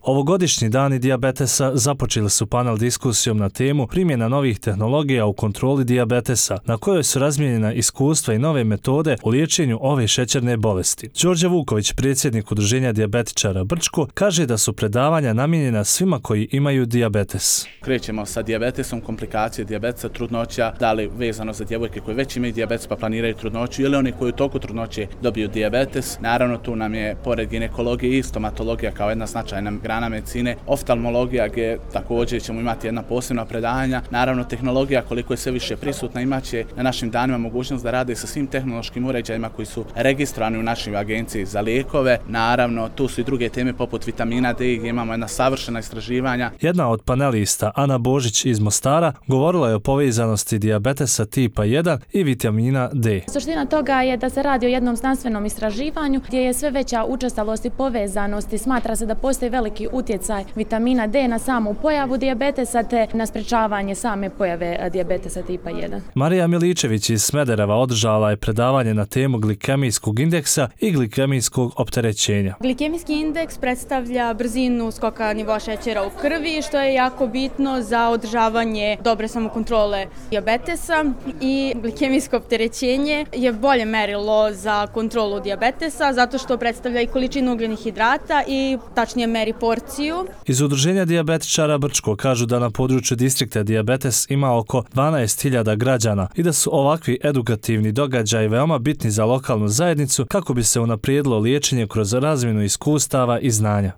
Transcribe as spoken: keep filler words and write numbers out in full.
Ovogodišnji dani dijabetesa započeli su panel diskusijom na temu primjena novih tehnologija u kontroli dijabetesa, na kojoj su razmijenjena iskustva i nove metode u liječenju ove šećerne bolesti. Đorđe Vuković, predsjednik Udruženja dijabetičara Brčko, kaže da su predavanja namijenjena svima koji imaju dijabetes. Krećemo sa dijabetesom, komplikacije dijabetesa, trudnoća, da li vezano za djevojke koje već imaju dijabetes pa planiraju trudnoću ili oni koji u toku trudnoće dobiju dijabetes. Naravno, tu nam je pored ginekologije i stomatologija kao jedna značajna grana medicine, oftalmologija gdje također ćemo imati jedna posebna predavanja. Naravno, tehnologija koliko je sve više prisutna imaće na našim danima mogućnost da rade sa svim tehnološkim uređajima koji su registrovani u našoj agenciji za lijekove. Naravno, tu su i druge teme poput vitamina D gdje imamo jedna savršena istraživanja. Jedna od panelista, Ana Božić iz Mostara, govorila je o povezanosti dijabetesa tipa jedan i vitamina D. Suština toga je da se radi o jednom znanstvenom istraživanju gdje je sve veća učestalost i povezanost i smatra se da postoji veliki utjecaj vitamina D na samu pojavu dijabetesa te na sprečavanje same pojave dijabetesa tipa jedan. Marija Miličević iz Smedereva održala je predavanje na temu glikemijskog indeksa i glikemijskog opterećenja. Glikemijski indeks predstavlja brzinu skoka nivoa šećera u krvi, što je jako bitno za održavanje dobre samokontrole dijabetesa, i glikemijsko opterećenje je bolje merilo za kontrolu dijabetesa zato što predstavlja i količinu ugljenih hidrata i tačnije meri porciju. Iz Udruženja dijabetičara Brčko kažu da na području distrikta dijabetes ima oko dvanaest hiljada građana i da su ovakvi edukativni događaji veoma bitni za lokalnu zajednicu kako bi se unaprijedilo liječenje kroz razmjenu iskustava i znanja.